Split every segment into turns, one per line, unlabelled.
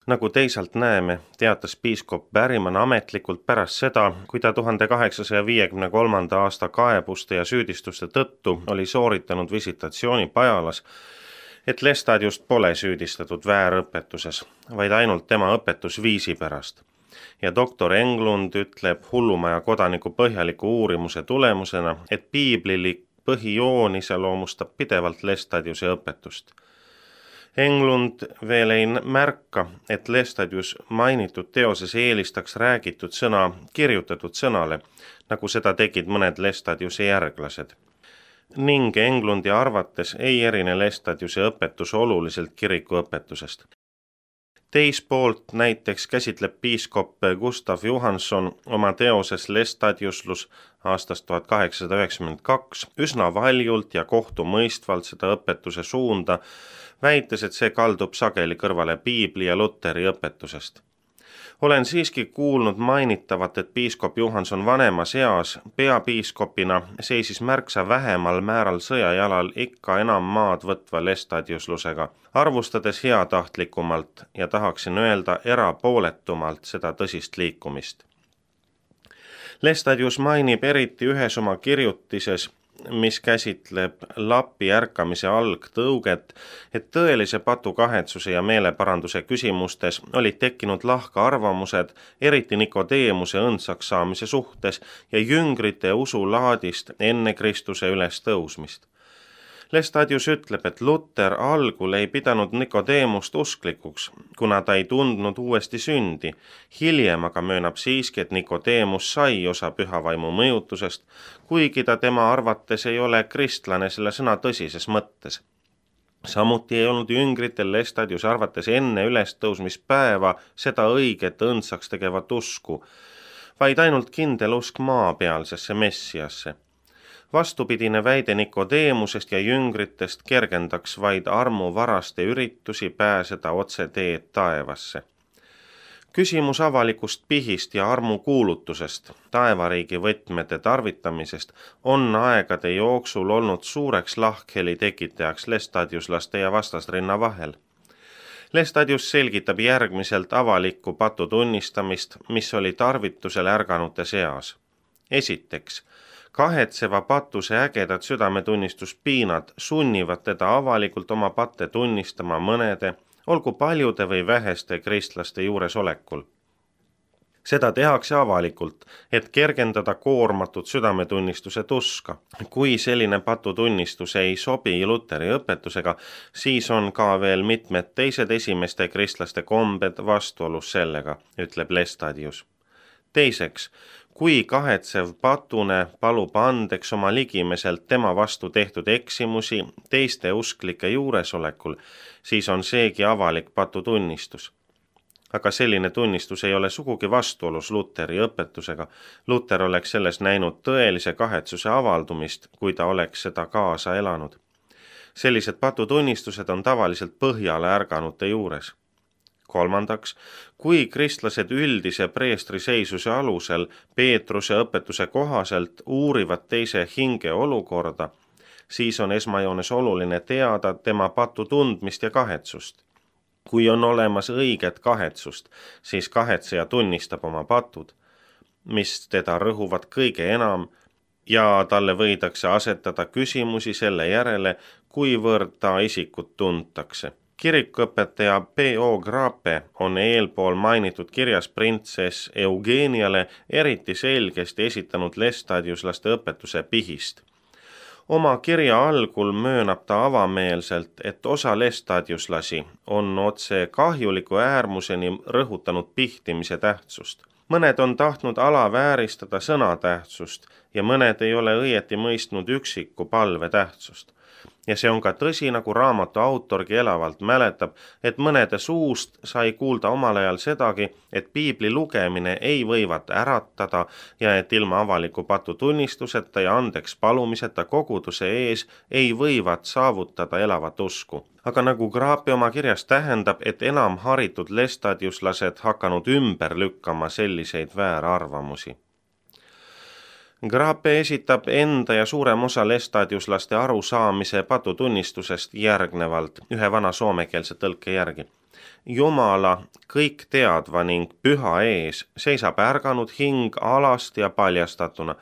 Nagu teisalt näeme, teatas piiskop Berryman ametlikult pärast seda, kui ta 1853. aasta kaebuste ja süüdistuste tõttu oli sooritanud visitatsiooni Pajalas, et Lestadiust pole süüdistatud väärõpetuses, vaid ainult tema õpetusviisi pärast. Ja doktor Englund ütleb hullumaja kodaniku põhjaliku uurimuse tulemusena, et piiblilik põhijoon iseloomustab pidevalt Lestadiuse õpetust. Englund veel ei märka, et Lestadius mainitud teoses eelistaks räägitud sõna kirjutatud sõnale, nagu seda tegid mõned Lestadiuse järglased. Ning Englundi arvates ei erine Lestadiuse õpetus oluliselt kiriku õpetusest. Teispoolt näiteks käsitleb piiskop Gustav Johanson oma teoses Lestadiuslus aastast 1892 üsna valjult ja kohtumõistvalt seda õpetuse suunda, väites, et see kaldub sageli kõrvale piibli ja Luteri õpetusest. Olen siiski kuulnud mainitavat, et piiskop Johanson vanemas eas peapiiskopina seisis märksa vähemal määral sõjajalal ikka enam maad võtva Lestadiuslusega, arvustades heatahtlikumalt ja tahaksin öelda erapooletumalt seda tõsist liikumist. Lestadius mainib eriti ühes oma kirjutises, mis käsitleb lapi ärkamise algtõuget, et tõelise patukahetsuse ja meeleparanduse küsimustes olid tekkinud lahka arvamused, eriti Nikodeemuse õndsaks saamise suhtes ja jüngrite usulaadist enne Kristuse ülestõusmist. Lestadius ütleb, et Luter algul ei pidanud Nikodeemust usklikuks, kuna ta ei tundnud uuesti sündi. Hiljem aga möönab siiski, et Nikodeemus sai osa pühavaimu mõjutusest, kuigi ta tema arvates ei ole kristlane selle sõna tõsises mõttes. Samuti ei olnud jüngritel Lestadius arvates enne ülestõusmispäeva seda õiget õndsaks tegevat usku, vaid ainult kindel usk maapealsesse messiasse. Vastupidine väide Nikodeemusest ja jüngritest kergendaks vaid armuvaraste üritusi pääseda otse teed taevasse. Küsimus avalikust pihist ja armukuulutusest, taevariigi võtmete tarvitamisest on aegade jooksul olnud suureks lahkheli tekitajaks lestadiuslaste ja vastasrinna vahel. Lestadius selgitab järgmiselt avalikku patu tunnistamist, mis oli tarvitusel ärganute seas. Esiteks, kahetseva patuse ägedad südametunnistuspiinad sunnivad teda avalikult oma patte tunnistama mõnede, olgu paljude või väheste kristlaste juuresolekul. Seda tehakse avalikult, et kergendada koormatud südametunnistuse tuska. Kui selline patutunnistus ei sobi Luteri õpetusega, siis on ka veel mitmed teised esimeste kristlaste kombed vastuolus sellega, ütleb Lestadius. Teiseks, kui kahetsev patune palub andeks oma ligimeselt tema vastu tehtud eksimusi teiste usklike juuresolekul, siis on seegi avalik patutunnistus. Aga selline tunnistus ei ole sugugi vastuolus Luteri õpetusega. Luter oleks selles näinud tõelise kahetsuse avaldumist, kui ta oleks seda kaasa elanud. Sellised patutunnistused on tavaliselt põhjale ärganute juures. Kolmandaks, kui kristlased üldise preestri seisuse alusel Peetruse õpetuse kohaselt uurivad teise hinge olukorda, siis on esmajoones oluline teada tema patu tundmist ja kahetsust. Kui on olemas õiget kahetsust, siis kahetseja tunnistab oma patud, mis teda rõhuvad kõige enam, ja talle võidakse asetada küsimusi selle järele, kuivõrd ta isikut tuntakse. Kirikuõpetaja P.O. Grape on eelpool mainitud kirjas printsess Eugeniale eriti selgesti esitanud lestadiuslaste õpetuse pihist. Oma kirja algul möönab ta avameelselt, et osa lestadiuslasi on otse kahjuliku äärmuseni rõhutanud pihtimise tähtsust. Mõned on tahtnud alavääristada sõna tähtsust ja mõned ei ole õieti mõistnud üksiku palve tähtsust. Ja see on ka tõsi, nagu raamatu autorgi elavalt mäletab, et mõnede suust sai kuulda omal ajal sedagi, et piibli lugemine ei võivat äratada ja et ilma avaliku patutunnistuseta ja andeks palumiseta koguduse ees ei võivat saavutada elavat usku. Aga nagu Grape oma kirjas tähendab, et enam haritud lestadiuslased hakanud ümber lükkama selliseid väärarvamusi. Grape esitab enda ja suurem osa lestadiuslaste arusaamise patutunnistusest järgnevalt ühe vana soomekeelse tõlke järgi. Jumala kõik teadva ning püha ees seisab ärganud hing alasti ja paljastatuna,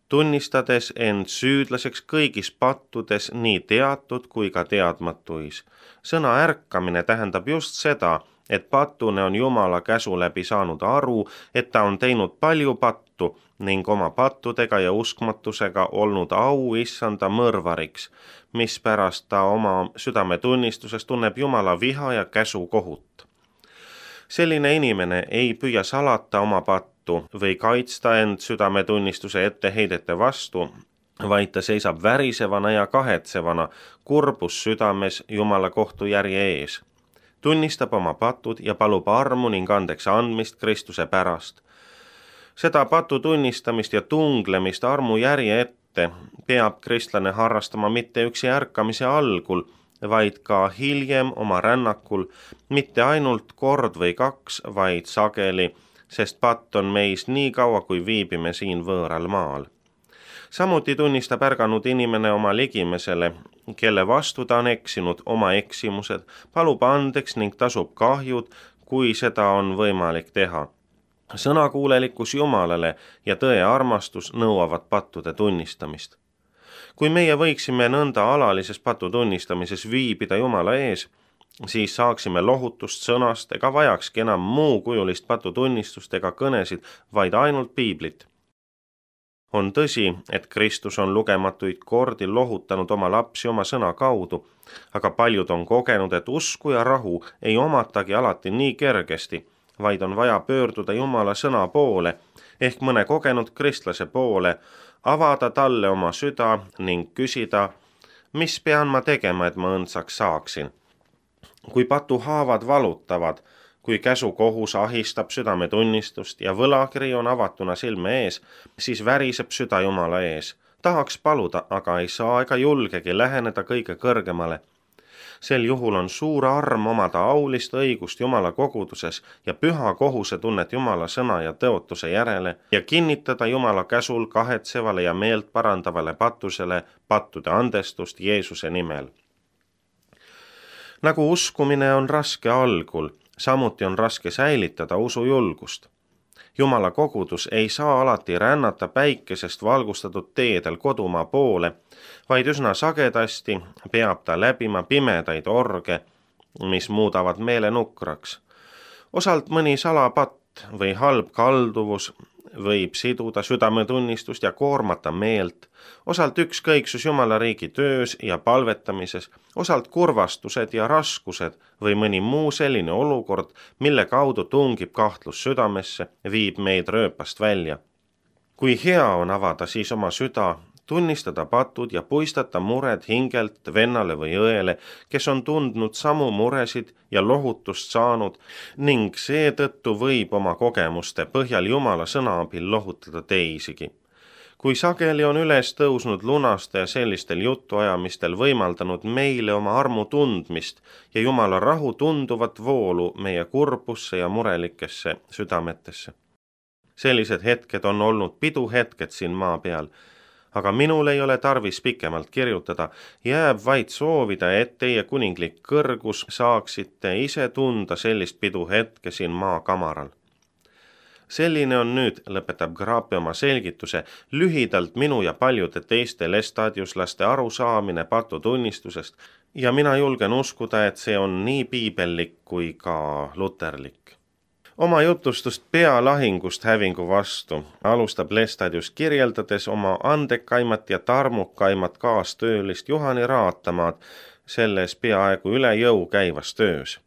tunnistades end süüdlaseks kõigis pattudes, nii teatud kui ka teadmatuis. Sõna ärkamine tähendab just seda, et patune on Jumala käsu läbi saanud aru, et ta on teinud palju pattu ning oma pattudega ja uskmatusega olnud au issanda mõrvariks, mispärast ta oma südametunnistuses tunneb Jumala viha ja käsu kohut. Selline inimene ei püüa salata oma pattu või kaitsta end südametunnistuse etteheidete vastu, vaid ta seisab värisevana ja kahetsevana kurbus südames Jumala kohtujärje ees. Tunnistab oma patud ja palub armu ning andeks andmist Kristuse pärast. Seda patu tunnistamist ja tunglemist armu järje ette peab kristlane harrastama mitte üksi ärkamise algul, vaid ka hiljem oma rännakul, mitte ainult kord või kaks, vaid sageli, sest patt on meis nii kaua, kui viibime siin võõral maal. Samuti tunnistab ärganud inimene oma ligimesele, kelle vastu ta on eksinud, oma eksimused, palub andeks ning tasub kahjud, kui seda on võimalik teha. Sõnakuulelikkus Jumalale ja tõe armastus nõuavad pattude tunnistamist. Kui meie võiksime nõnda alalises patu tunnistamises viibida Jumala ees, siis saaksime lohutust sõnast ega vajakski enam muukujulist patutunnistust ega kõnesid, vaid ainult piiblit. On tõsi, et Kristus on lugematuid kordi lohutanud oma lapsi oma sõna kaudu, aga paljud on kogenud, et usku ja rahu ei omatagi alati nii kergesti, vaid on vaja pöörduda Jumala sõna poole ehk mõne kogenud kristlase poole, avada talle oma süda ning küsida, mis pean ma tegema, et ma õndsaks saaksin. Kui patuhaavad valutavad, kui käsukohus ahistab südametunnistust ja võlakiri on avatuna silme ees, siis väriseb süda Jumala ees. Tahaks paluda, aga ei saa ega julgegi läheneda kõige kõrgemale. Sel juhul on suur arm omada aulist õigust Jumala koguduses ja püha kohusetunnet Jumala sõna ja tõotuse järele ja kinnitada Jumala käsul kahetsevale ja meelt parandavale patusele pattude andestust Jeesuse nimel. Nagu uskumine on raske algul, samuti on raske säilitada usujulgust. Jumala kogudus ei saa alati rännata päikesest valgustatud teedel kodumaa poole, vaid üsna sagedasti peab ta läbima pimedaid orge, mis muudavad meele nukraks. Osalt mõni salapatt või halb kalduvus võib siduda südametunnistust ja koormata meelt, osalt ükskõiksus Jumala riigi töös ja palvetamises, osalt kurvastused ja raskused või mõni muu selline olukord, mille kaudu tungib kahtlus südamesse, viib meid rööpast välja. Kui hea on avada siis oma süda, tunnistada patud ja puistata mured hingelt vennale või õele, kes on tundnud samu muresid ja lohutust saanud ning seetõttu võib oma kogemuste põhjal Jumala sõna abil lohutada teisigi. Kui sageli on üles tõusnud lunastaja sellistel jutuajamistel võimaldanud meile oma armu tundmist ja Jumala rahu tunduvat voolu meie kurbusse ja murelikesse südametesse. Sellised hetked on olnud piduhetked siin maa peal, aga minul ei ole tarvis pikemalt kirjutada, jääb vaid soovida, et teie kuninglik kõrgus saaksite ise tunda sellist piduhetke siin maa kamaral. Selline on nüüd, lõpetab Graapi oma selgituse, lühidalt minu ja paljude teiste lestadiuslaste arusaamine patutunnistusest ja mina julgen uskuda, et see on nii piibellik kui ka luterlik. Oma jutustust pealahingust hävingu vastu alustab Lestadius kirjeldades oma andekaimat ja tarmukaimat kaastöölist Juhani Raatamaad selles peaaegu üle jõu käivas töös.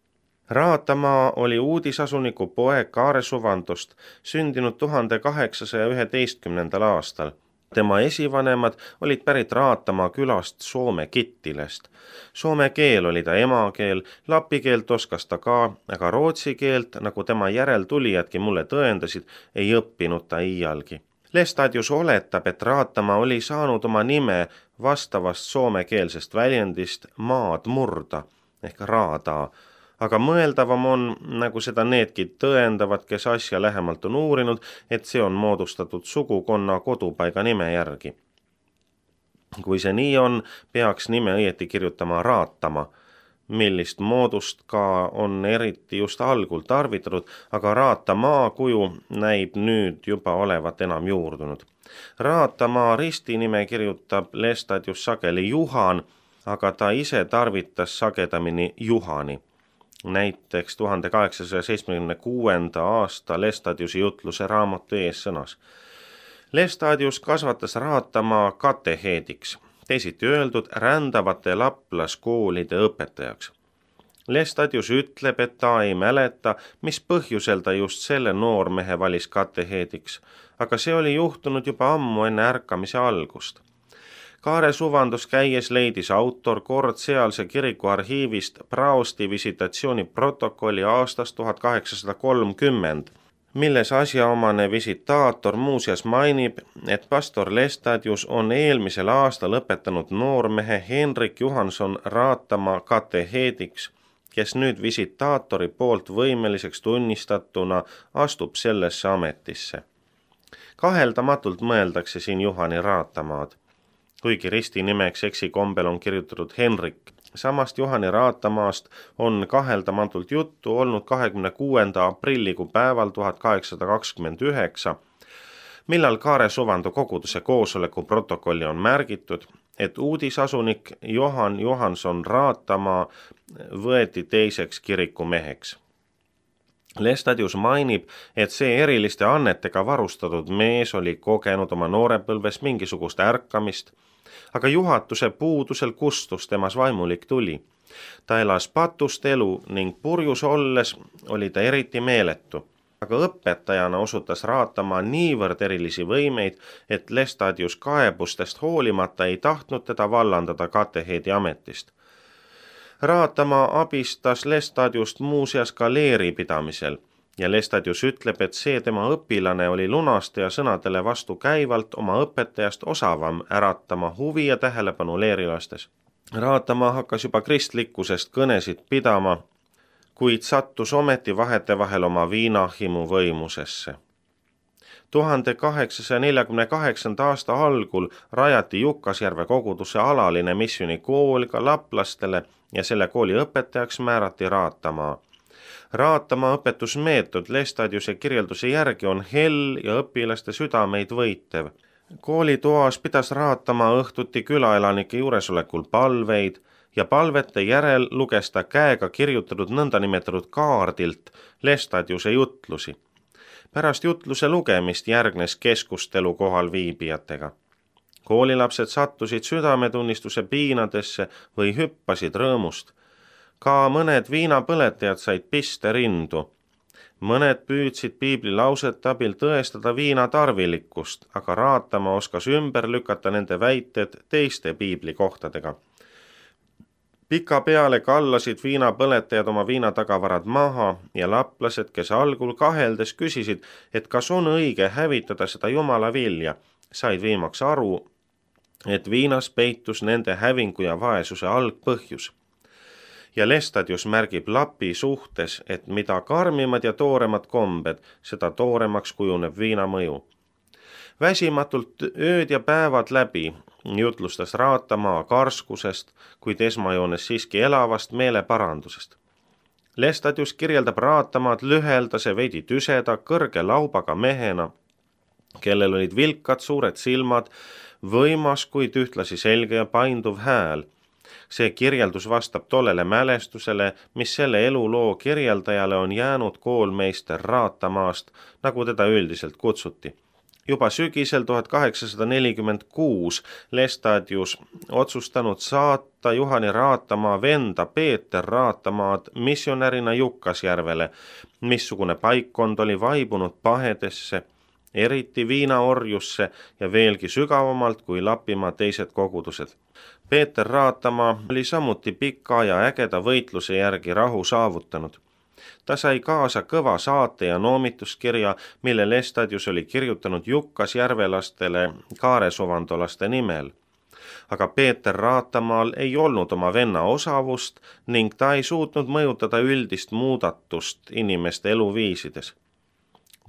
Raatamaa oli uudisasuniku poeg Kaare Suvantost, sündinud 1811. aastal. Tema esivanemad olid pärit Raatamaa külast Soome Kittilast. Soome keel oli ta emakeel, lapi keelt oskas ta ka, aga rootsi keelt, nagu tema järeltulijadki mulle tõendasid, ei õppinud ta iialgi. Lestadius oletab, et Raatamaa oli saanud oma nime vastavast soomekeelsest väljendist maad murda ehk raadaa, aga mõeldavam on, nagu seda needki tõendavad, kes asja lähemalt on uurinud, et see on moodustatud sugukonna kodupaiga nime järgi. Kui see nii on, peaks nime õieti kirjutama Raatama, millist moodust ka on eriti just algul tarvitatud, aga Raatamaa kuju näib nüüd juba olevat enam juurdunud. Raatamaa ristinime kirjutab Lestadius sageli Juhan, aga ta ise tarvitas sagedamini Juhani. Näiteks 1876. aasta Lestadiusi jutluse raamatu eessõnas. Lestadius kasvatas Raatamaa kateheediks, teisiti öeldud rändavate laplaskoolide õpetajaks. Lestadius ütleb, et ta ei mäleta, mis põhjusel ta just selle noormehe valis kateheediks, aga see oli juhtunud juba ammu enne ärkamise algust. Kaare suvandus käies leidis autor kord sealse kiriku arhiivist praosti visitatsiooni protokolli aastast 1830, milles asjaomane visitaator muuseas mainib, et pastor Lestadius on eelmisel aastal õpetanud noormehe Henrik Johanson Raatamaa kateheediks, kes nüüd visitaatori poolt võimeliseks tunnistatuna astub sellesse ametisse. Kaheldamatult mõeldakse siin Juhani Raatamaad, kuigi ristinimeks eksikombel on kirjutatud Henrik. Samast Juhani Raatamaast on kaheldamatult juttu olnud 26. aprillikuu päeval 1829, millal Kaare suvandu koguduse koosoleku protokolli on märgitud, et uudisasunik Johan Johanson Raatamaa võeti teiseks kirikumeheks. Lestadius mainib, et see eriliste annetega varustatud mees oli kogenud oma noorepõlves mingisugust ärkamist, aga juhatuse puudusel kustus temas vaimulik tuli. Ta elas patust elu ning purjus olles oli ta eriti meeletu, aga õpetajana osutas Raatamaa niivõrd erilisi võimeid, et Lestadius kaebustest hoolimata ei tahtnud teda vallandada kateheedi ametist. Raatamaa abistas Lestadiust muuseas ka leeri pidamisel ja Lestadius ütleb, et see tema õpilane oli lunastaja sõnadele vastu käivalt oma õpetajast osavam äratama huvi ja tähelepanu leerilastes. Raatamaa hakkas juba kristlikkusest kõnesid pidama, kuid sattus ometi vahetevahel oma viinahimu võimusesse. 1848. aasta algul rajati Jukkasjärve koguduse alaline missioonikool ka laplastele ja selle kooli õpetajaks määrati Raatamaa. Raatamaa õpetusmeetod Lestadiuse kirjelduse järgi on hell ja õpilaste südameid võitev. Koolitoas pidas Raatamaa õhtuti külaelanike juuresolekul palveid ja palvete järel luges ta käega kirjutatud nõndanimetatud kaardilt Lestadiuse jutlusi. Pärast jutluse lugemist järgnes keskustelu kohal viibijatega. Koolilapsed sattusid südametunnistuse piinadesse või hüppasid rõõmust. Ka mõned viinapõletajad said piste rindu. Mõned püüdsid piiblilausete abil tõestada viina tarvilikkust, aga Raatamaa oskas ümber lükata nende väited teiste piiblikohtadega. Pikapeale kallasid viinapõletajad oma viinatagavarad maha ja laplased, kes algul kaheldes küsisid, et kas on õige hävitada seda jumala vilja, said viimaks aru, et viinas peitus nende hävingu ja vaesuse algpõhjus. Ja Lestadius märgib lapi suhtes, et mida karmimad ja tooremad kombed, seda tooremaks kujuneb viina mõju. Väsimatult ööd ja päevad läbi jutlustas Raatamaa karskusest, kuid esmajoones siiski elavast meeleparandusest. Lestadius kirjeldab Raatamaad lüheldase, veidi tüseda, kõrge laubaga mehena, kellel olid vilkad suured silmad, võimas, kuid ühtlasi selge ja painduv hääl. See kirjeldus vastab tollele mälestusele, mis selle eluloo kirjeldajale on jäänud koolmeister Raatamaast, nagu teda üldiselt kutsuti. Juba sügisel 1846 Lestadius otsustanud saata Juhani Raatamaa venda Peeter Raatamaad missionärina Jukkasjärvele, missugune paikkond oli vaibunud pahedesse, eriti viinaorjusse ja veelgi sügavamalt kui Lapimaa teised kogudused. Peeter Raatamaa oli samuti pika ja ägeda võitluse järgi rahu saavutanud. Ta sai kaasa kõva saate ja noomituskirja, mille Lestadius oli kirjutanud Jukkasjärvelastele kaaresuvandolaste nimel. Aga Peeter Raatamaal ei olnud oma venna osavust ning ta ei suutnud mõjutada üldist muudatust inimeste eluviisides.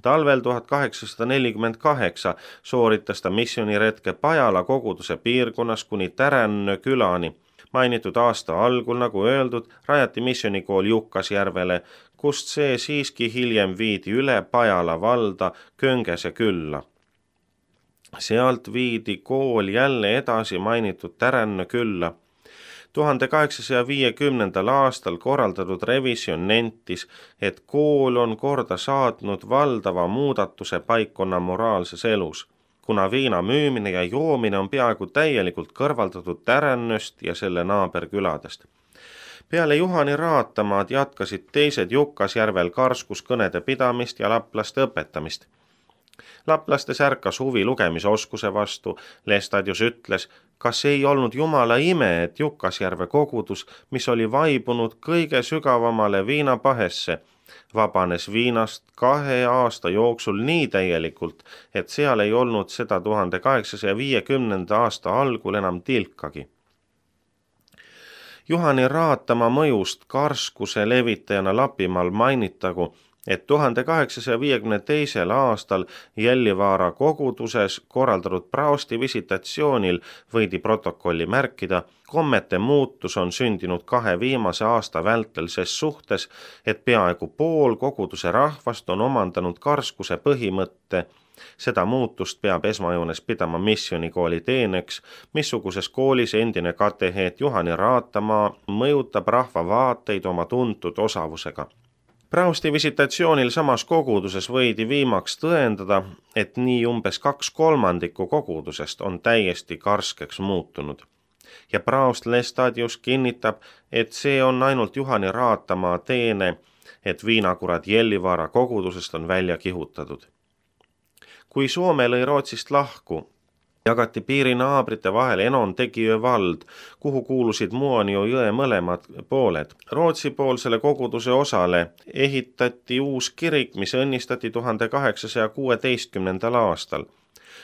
Talvel 1848 sooritas ta missiooniretke Pajala koguduse piirkonnas kuni Tärannö külani, Mainitud aasta algul, nagu öeldud, rajati missionikool Jukkasjärvele, kust see siiski hiljem viidi üle Pajala valda Köngese külla. Sealt viidi kool jälle edasi mainitud Täränne külla. 1850. aastal korraldatud revisjon nentis, et kool on korda saatnud valdava muudatuse paikkonna moraalses elus, kuna viina müümine ja joomine on peaaegu täielikult kõrvaldatud Tärännöst ja selle naaberküladest. Peale Juhani Raatamaad jatkasid teised Jukkasjärvel karskuskõnede pidamist ja laplaste õpetamist. Laplastes ärkas huvi lugemisoskuse vastu. Lestadius ütles, kas ei olnud jumala ime, et Jukkasjärve kogudus, mis oli vaibunud kõige sügavamale viinapahesse, vabanes viinast 2 aasta jooksul nii täielikult, et seal ei olnud seda 1850. aasta algul enam tilkagi. Juhani Raatama mõjust karskuse levitajana Lapimaal mainitagu, et 1852. aastal Jällivaara koguduses korraldatud praosti visitatsioonil võidi protokolli märkida, kommete muutus on sündinud 2 viimase aasta vältel ses suhtes, et peaaegu pool koguduse rahvast on omandanud karskuse põhimõtte. Seda muutust peab esmajoones pidama missionikooli teeneks, missuguses koolis endine kateheet Juhani Raatamaa mõjutab rahva vaateid oma tuntud osavusega. Praosti visitatsioonil samas koguduses võidi viimaks tõendada, et nii umbes 2/3 kogudusest on täiesti karskeks muutunud. Ja praost Lestadius kinnitab, et see on ainult Juhani Raatamaa teene, et viinakurad Jällivaara kogudusest on välja kihutatud. Kui Soome lõi Rootsist lahku, jagati piirinaabrite vahel Enontekiö vald, kuhu kuulusid Muonio jõe mõlemad pooled. Rootsipoolsele koguduse osale ehitati uus kirik, mis õnnistati 1816. aastal.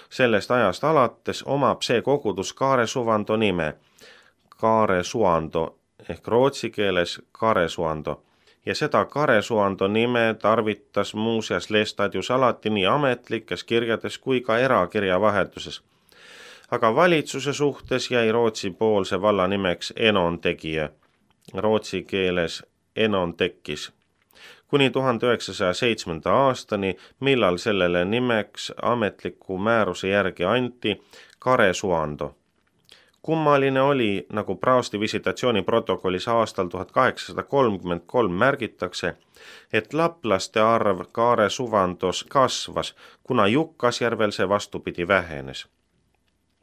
Sellest ajast alates omab see kogudus Kaaresuvando nime, Kaaresuando ehk rootsi keeles Kaaresuando. Ja seda Kaaresuando nime tarvitas muuseas Lestadius alati nii ametlikes kirjades kui ka erakirja vahetuses. Aga valitsuse suhtes jäi Rootsi poolse valla nimeks Enontekiö, rootsi keeles Enontekis, kuni 1907. aastani, millal sellele nimeks ametliku määruse järgi anti Kaaresuando. Kummaline oli, nagu praosti visitatsiooni protokollis aastal 1833 märgitakse, et laplaste arv Kaaresuvandos kasvas, kuna Jukkasjärvel see vastupidi vähenes.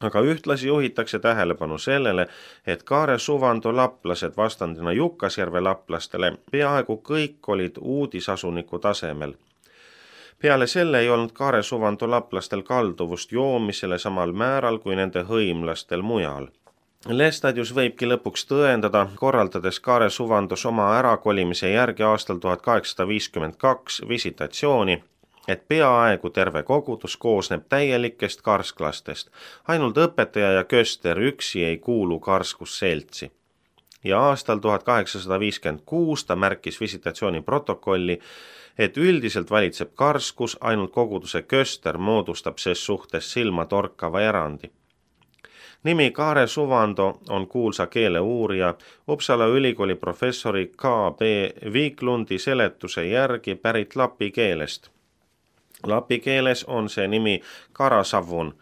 Aga ühtlasi juhitakse tähelepanu sellele, et Kaaresuvando laplased vastandina Jukkasjärve laplastele peaaegu kõik olid uudisasuniku tasemel. Peale selle ei olnud Kaaresuvando laplastel kalduvust joomisele samal määral kui nende hõimlastel mujal. Lestadius võibki lõpuks tõendada, korraldades Kaaresuvandos oma ärakolimise järgi aastal 1852 visitatsiooni, et peaaegu terve kogudus koosneb täielikest karsklastest, ainult õpetaja ja köster üksi ei kuulu karskusseltsi. Ja aastal 1856 ta märkis visitatsiooni protokolli, et üldiselt valitseb karskus, ainult koguduse köster moodustab ses suhtes silmatorkava erandi. Nimi Kaaresuvando on kuulsa keeleuurija Uppsala ülikooli professori K.B. Viklundi seletuse järgi pärit lapi keelest. Lapi keeles on see nimi Karasavun.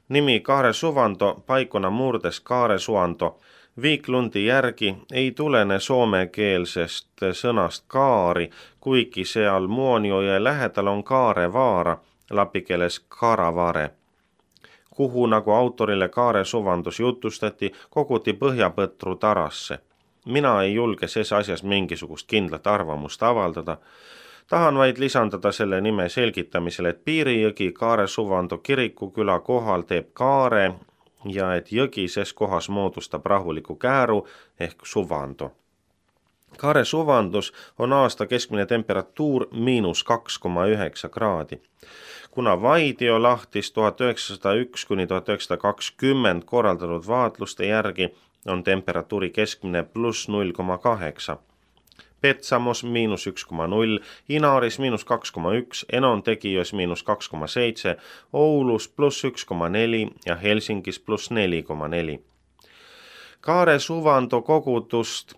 Nimi Kaaresuvando paikona murdes Kaaresuando. Viklundi järgi ei tulene soomekeelsest sõnast kaari, kuigi seal Muonioje lähedal on Kaarevaara, lapi keeles Karavare, kuhu, nagu autorile Kaaresuvandus jutustati, koguti põhjapõtru tarasse. Mina ei julge ses asjas mingisugust kindlat arvamust avaldada. Tahan vaid lisandada selle nime selgitamisele, et Piirijõgi Kaaresuvando kirikuküla kohal teeb kaare ja et jõgi ses kohas moodustab rahuliku kääru ehk suvando. Kaaresuvandus on aasta keskmine temperatuur –2,9 kraadi. Kuna Vaidio lahtis 1901–1920 korraldatud vaatluste järgi on temperatuuri keskmine +0,8. Petsamos –1,0, Inaris –2,1, Enontekiös –2,7, Oulus +1,4 ja Helsingis +4,4. Kaare Suvando kogudust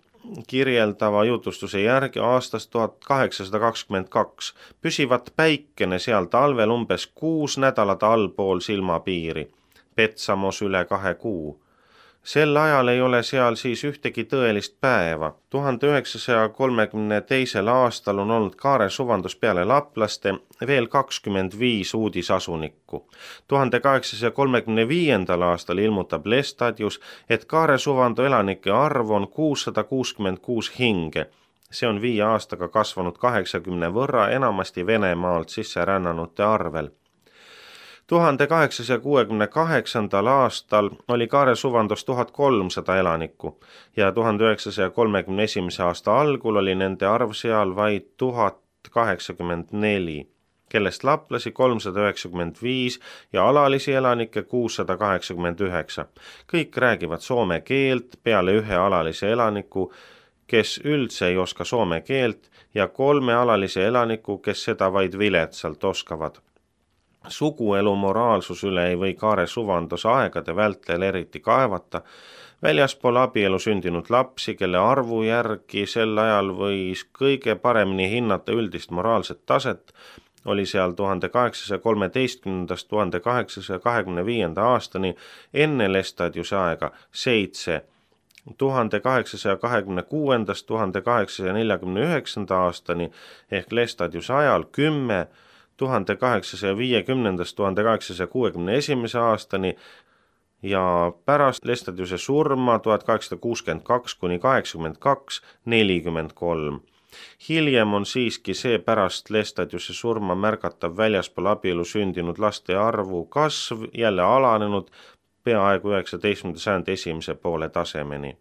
kirjeldava jutustuse järgi aastast 1822 püsivat päikene seal talvel umbes 6 nädalat allpool silmapiiri, Petsamos üle 2 kuu. Sel ajal ei ole seal siis ühtegi tõelist päeva. 1932. aastal on olnud Kaare Suvandos peale laplaste veel 25 uudisasunikku. 1835. aastal ilmutab Lestadius, et Kaare Suvando elanike arv on 666 hinge. See on 5 aastaga kasvanud 80 võrra enamasti Venemaalt sisse rännanute arvel. 1868. aastal oli Kaare Suvandos 1300 elanikku ja 1931. aasta algul oli nende arv seal vaid 1084, kellest laplasi 395 ja alalisi elanikke 689. Kõik räägivad soome keelt peale 1 alalise elaniku, kes üldse ei oska soome keelt, ja 3 alalise elaniku, kes seda vaid viletsalt oskavad. Suguelu moraalsus üle ei või Kaare Suvandos aegade vältel eriti kaevata. Väljaspool abielu sündinud lapsi, kelle arvu järgi sel ajal võis kõige paremini hinnata üldist moraalset taset, oli seal 1813–1825. aastani enne Lestadiuse aega 7, 1826–1849. aastani ehk Lestadiuse ajal 10, 1850–1861. aastani ja pärast Lestadiuse surma 1862–82 43. Hiljem on siiski see pärast Lestadiuse surma märgatav väljaspool abielu sündinud laste arvu kasv jälle alanenud peaaegu 19. sajandi esimese poole tasemeni.